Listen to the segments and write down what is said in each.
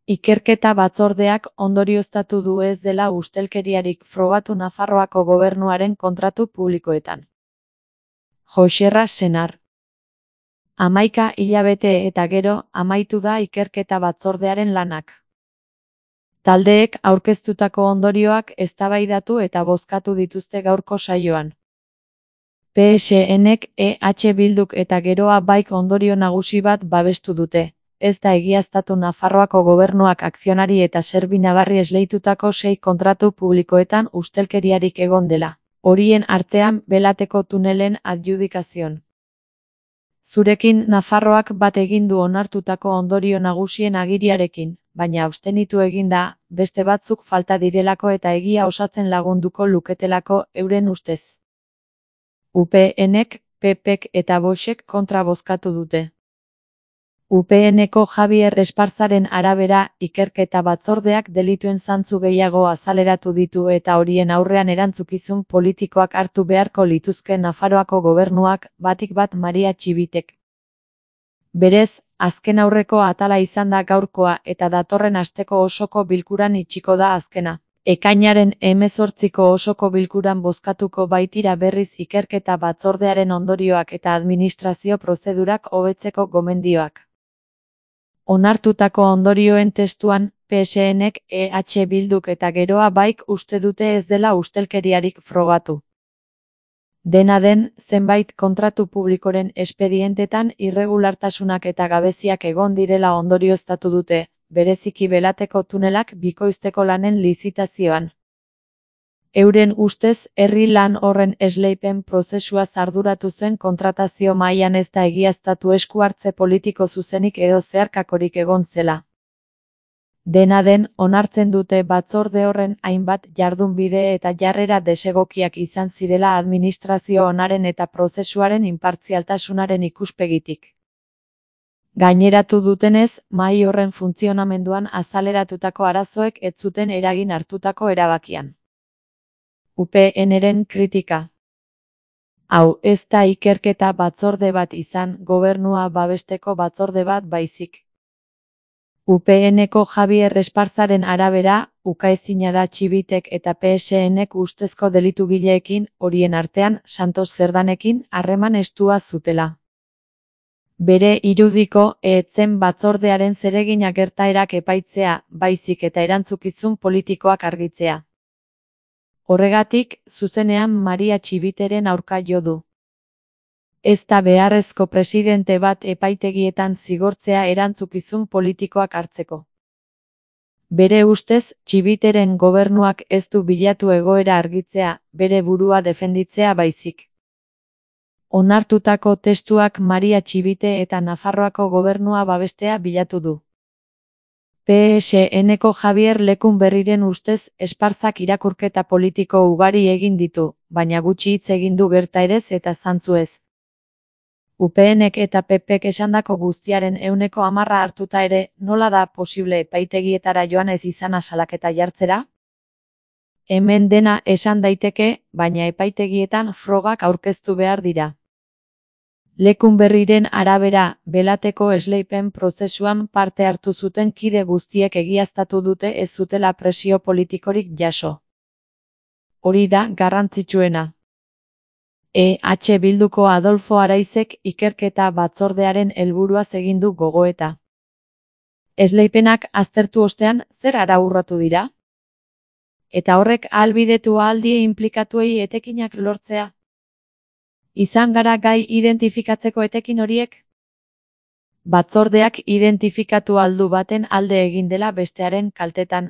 Ikerketa batzordeak ondorioztatu du ez dela ustelkeriarik frogatu Nafarroako gobernuaren kontratu publikoetan. Joxerra Senar. 11 hilabete eta gero amaitu da ikerketa batzordearen lanak. Taldeek aurkeztutako ondorioak eztabaidatu eta bozkatu dituzte gaurko saioan. PSNek EH Bilduk eta Geroa Baik ondorio nagusi bat babestu dute. Ez da egiaztatu Nafarroako gobernuak akzionari eta serbinabarri esleitutako 6 kontratu publikoetan ustelkeriarik egon dela. Horien artean Belateko tunelen adjudikazion. Zurekin Nafarroak bat egin du onartutako ondorio nagusien agiriarekin, baina abstenitu egin da, beste batzuk falta direlako eta egia osatzen lagunduko luketelako euren ustez. UPNek, PPek eta Voxek kontra bozkatu dute. UPNeko Javier Esparzaren arabera, ikerketa batzordeak delituen zantzu gehiago azaleratu ditu eta horien aurrean erantzukizun politikoak hartu beharko lituzke Nafarroako gobernuak, batik bat Maria Txibitek. Berez, azken aurreko atala izan da gaurkoa eta datorren asteko osoko bilkuran itxiko da azkena. Ekainaren 18ko osoko bilkuran bozkatuko baitira berriz ikerketa batzordearen ondorioak eta administrazio prozedurak hobetzeko gomendioak. Onartutako ondorioen testuan, PSNek, EH Bilduk eta Geroa Baik uste dute ez dela ustelkeriarik frogatu. Dena den, zenbait kontratu publikoren espedientetan irregulartasunak eta gabeziak egon direla ondorioztatu dute, bereziki Belateko tunelak bikoizteko lanen lizitazioan. Euren ustez, herri lan horren esleipen prozesua arduratu zen kontratazio mahaian ez da egiaztatu esku hartze politiko zuzenik edo zeharkakorik egon zela. Dena den, onartzen dute batzorde horren hainbat jardunbide eta jarrera desegokiak izan zirela administrazio onaren eta prozesuaren inpartzialtasunaren ikuspegitik. Gaineratu dutenez, mahai horren funtzionamenduan azaleratutako arazoek ez zuten eragin hartutako erabakian. UPNren kritika. Hau ez da ikerketa batzorde bat izan, gobernua babesteko batzorde bat baizik. UPNeko Javier Esparzaren arabera, ukaezina da Txibitek eta PSNek ustezko delitugileekin, horien artean Santos Zerdanekin, harreman estua zutela. Bere irudiko, ez zen batzordearen zeregina gertaerak epaitzea, baizik eta erantzukizun politikoak argitzea. Horregatik, zuzenean Maria Txibiteren aurka jo du. Ez da beharrezko presidente bat epaitegietan zigortzea erantzukizun politikoak hartzeko. Bere ustez, Txibiteren gobernuak ez du bilatu egoera argitzea, bere burua defenditzea baizik. Onartutako testuak Maria Txibite eta Nafarroako gobernua babestea bilatu du. PSNeko Javier Lekunberriren ustez, Esparzak irakurketa politiko ugari egin ditu, baina gutxi hitz egin du gertaerez eta zantzuez. UPNek eta PPek esandako guztiaren 100% hartuta ere, nola da posible epaitegietara joan ez izana salaketa jartzera? Hemen dena esan daiteke, baina epaitegietan frogak aurkeztu behar dira. Lekunberriren arabera, Belateko esleipen prozesuan parte hartu zuten kide guztiek egiaztatu dute ez zutela presio politikorik jaso. Hori da garrantzitsuena. EH Bilduko Adolfo Araizek ikerketa batzordearen helburuaz egin du gogoeta. Esleipenak aztertu ostean, zer ara urratu dira? Eta horrek ahalbidetu ahaldie inplikatuei etekinak lortzea. Izan gara gai identifikatzeko etekin horiek? Batzordeak identifikatu aldu baten alde egin dela bestearen kaltetan.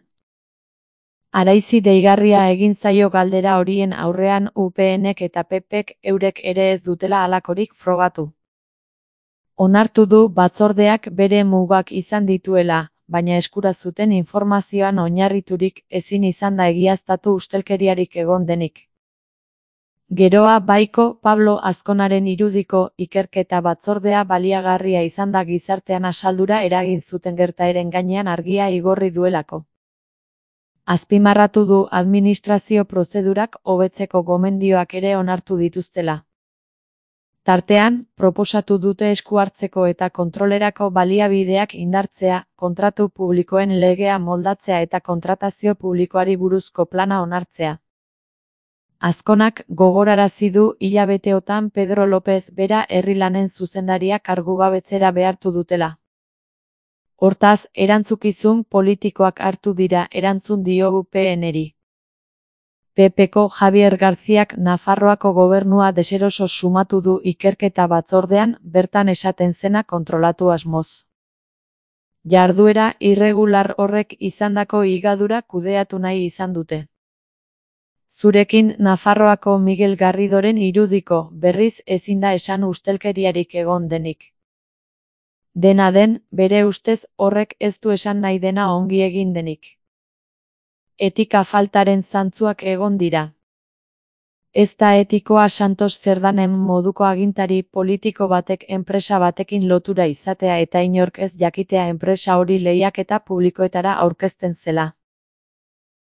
Araizi deigarria egin zaio galdera horien aurrean UPNek eta PPek eurek ere ez dutela halakorik frogatu. Onartu du batzordeak bere mugak izan dituela, baina eskura zuten informazioan oinarriturik ezin izan da egiaztatu ustelkeriarik egon denik. Geroa Baiko Pablo Azkonaren irudiko ikerketa batzordea baliagarria izan da gizartean asaldura eragin zuten gertaeren gainean argia igorri duelako. Azpimarratu du administrazio prozedurak hobetzeko gomendioak ere onartu dituztela. Tartean, proposatu dute esku hartzeko eta kontrolerako baliabideak indartzea, kontratu publikoen legea moldatzea eta kontratazio publikoari buruzko plana onartzea. Azkonak gogorarazi du hilabeteotan Pedro López bera herri lanen zuzendaria kargugabetzera behartu dutela. Hortaz, erantzukizun politikoak hartu dira, erantzun diogu PNri. PPko Javier Garziak Nafarroako gobernua deseroso sumatu du ikerketa batzordean, bertan esaten zena kontrolatu asmoz. Jarduera irregular horrek izandako higadura kudeatu nahi izan dute. Zurekin Nafarroako Miguel Garridoren irudiko, berriz ezin da esan ustelkeriarik egon denik. Dena den, bere ustez horrek ez du esan nahi dena ongi egin denik. Etika faltaren zantzuak egon dira. Ez da etikoa Santos Cerdanen moduko agintari politiko batek enpresa batekin lotura izatea eta inork ez jakitea enpresa hori lehiaketa publikoetara aurkezten zela.